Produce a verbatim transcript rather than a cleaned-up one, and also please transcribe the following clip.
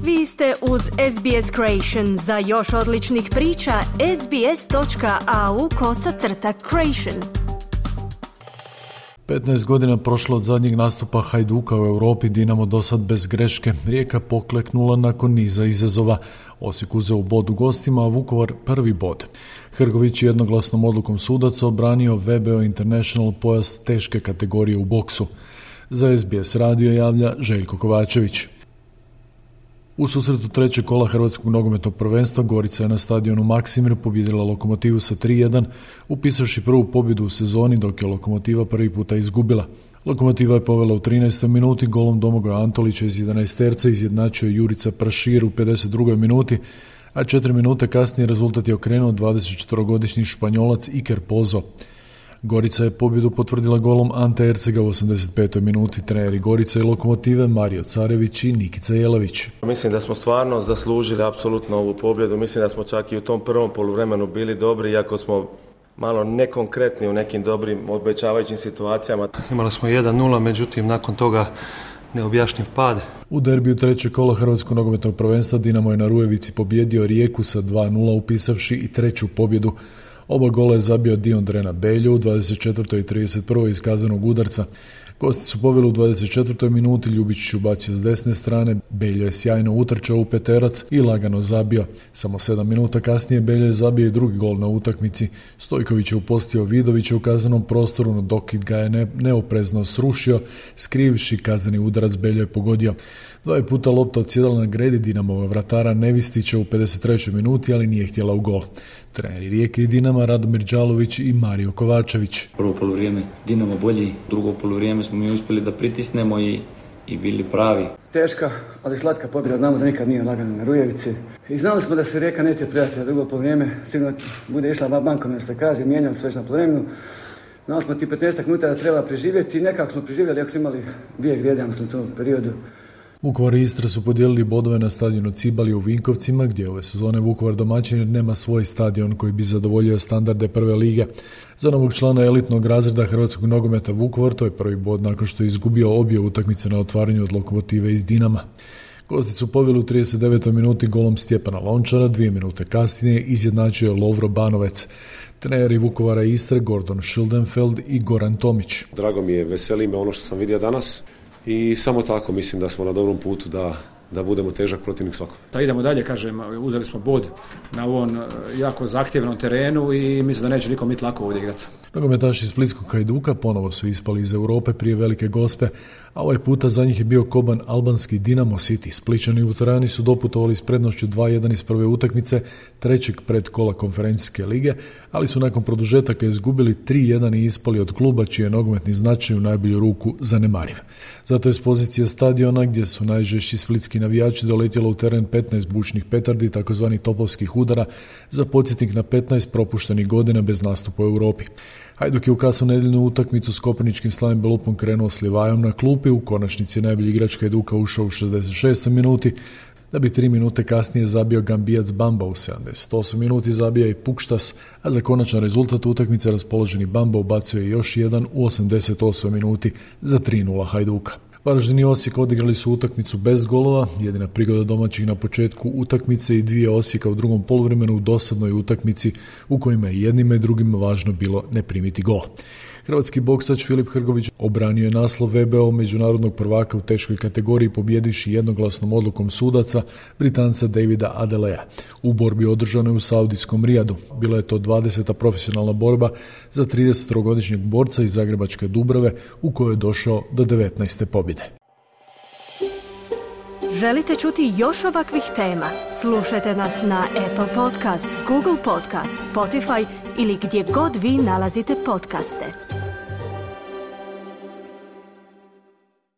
Vi ste uz S B S Creation. Za još odličnih priča, sbs.au kosacrta creation. petnaest godina prošlo od zadnjeg nastupa Hajduka u Europi, Dinamo dosad bez greške. Rijeka pokleknula nakon niza izazova. Osijek uzeo bod u gostima, a Vukovar prvi bod. Hrgović jednoglasnom odlukom sudaca obranio V B O International pojas teške kategorije u boksu. Za S B S radio javlja Željko Kovačević. U susretu trećeg kola Hrvatskog nogometnog prvenstva Gorica je na stadionu Maksimir pobijedila Lokomotivu sa tri jedan, upisavši prvu pobjedu u sezoni, dok je Lokomotiva prvi puta izgubila. Lokomotiva je povela u trinaestoj minuti golom Domagoja Antolića iz jedanaesterca, izjednačio Jurica Prašir u pedeset drugoj minuti, a četiri minute kasnije rezultat je okrenuo dvadesetčetvorogodišnji Španjolac Iker Pozo. Gorica je pobjedu potvrdila golom Ante Ercega u osamdeset petoj minuti. Treneri Gorice i Lokomotive Mario Carević i Nikica Jelavić. Mislim da smo stvarno zaslužili apsolutno ovu pobjedu. Mislim da smo čak i u tom prvom poluvremenu bili dobri, iako smo malo nekonkretni u nekim dobrim obećavajućim situacijama. Imali smo jedan nula, međutim nakon toga neobjašnjiv pad. U derbiju trećeg kola Hrvatskog nogometnog prvenstva Dinamo je na Rujevici pobjedio Rijeku sa dva nula, upisavši i treću pobjedu. Oba gola je zabio Diondrena Beljo u dvadeset četvrtoj i trideset prvoj iz kaznenog udarca. Gosti su poveli u dvadeset četvrtoj minuti, Ljubičić ubacio s desne strane, Beljo je sjajno utrčao u peterac i lagano zabio. Samo sedam minuta kasnije Beljo je zabio i drugi gol na utakmici. Stojković je upostio Vidovića u kaznenom prostoru, no Dokid ga je ne, neoprezno srušio, skrivši kazneni udarac Beljo je pogodio. Dva je puta lopta odsjedala na gredi Dinamova vratara Nevistića u pedeset trećoj minuti, ali nije htjela u gol. Treneri Rijeke i Dinama Radomir Đalović i Mario Kovačević. Prvo poluvrijeme Dinamo bolji, drugo poluvrijeme smo mi uspjeli da pritisnemo i, i bili pravi. Teška, ali slatka pobjeda, znamo da nikad nije lagano na Rujevici. I znali smo da se Rijeka neće prijati na drugo poluvrijeme, sigurno bude išla bankom, jer se kaže, mijenjali se već na poluvremenu. Znali smo ti petnaest minuta da treba preživjeti i nekako smo preživjeli, ako smo imali dvije grijede, u tom periodu. Vukovar i Istra su podijelili bodove na stadionu Cibali u Vinkovcima, gdje ove sezone Vukovar domaćin jer nema svoj stadion koji bi zadovoljio standarde prve lige. Za novog člana elitnog razreda Hrvatskog nogometa Vukovar to je prvi bod nakon što je izgubio obje utakmice na otvaranju od Lokomotive iz Dinama. Gosti su poveli u trideset devetoj minuti golom Stjepana Lončara, dvije minute kasnije izjednačio je Lovro Banovec. Treneri Vukovara i Istre Gordon Schildenfeld i Goran Tomić. Drago mi je, veseli me ono što sam vidio danas. I samo tako mislim da smo na dobrom putu da, da budemo težak protivnik svakom. Da idemo dalje, kažem, uzeli smo bod na ovom jako zahtjevnom terenu i mislim da neće nikom biti lako ovdje igrati. Nogometaši Splitskog Hajduka ponovo su ispali iz Europe prije velike gospe, a ovaj puta za njih je bio koban albanski Dinamo City. Splićani u Tirani su doputovali s prednošću dva jedan iz prve utakmice trećeg predkola konferencijske lige, ali su nakon produžetaka izgubili tri jedan i ispali od kluba čiji je nogometni značaj u najbolju ruku zanemariv. Zato je s pozicije stadiona gdje su najžešći splitski navijači doletjelo u teren petnaest bučnih petardi, takozvani topovskih udara, za podsjetnik na petnaest propuštenih godina bez nastupa u Europi. Hajduk je u kasnu nedjeljnu utakmicu s Kopaničkim Slavim Belupom krenuo s Livajom na klupi, u konačnici najbolji igrač Hajduka ušao u šezdeset šestoj minuti, da bi tri minute kasnije zabio Gambijac Bamba, u sedamdeset osmoj minuti zabija i Pukštas, a za konačan rezultat utakmice raspoloženi Bamba ubacio je još jedan u osamdeset osmoj minuti za tri nula Hajduka. Varaždin i Osijek odigrali su utakmicu bez golova, jedina prigoda domaćih na početku utakmice i dvije Osijeka u drugom poluvremenu u dosadnoj utakmici u kojima je jednima i drugima važno bilo ne primiti gol. Hrvatski boksač Filip Hrgović obranio je naslov V B O međunarodnog prvaka u teškoj kategoriji pobjedivši jednoglasnom odlukom sudaca Britanca Davida Adelea u borbi održanoj u saudijskom Rijadu. Bila je to dvadeseta profesionalna borba za tridesettrogodišnjeg borca iz zagrebačke Dubrave u kojoj je došao do devetnaeste pobjede. Želite čuti još ovakvih tema? Slušajte nas na Apple Podcast, Google Podcast, Spotify ili gdje god vi nalazite podcaste.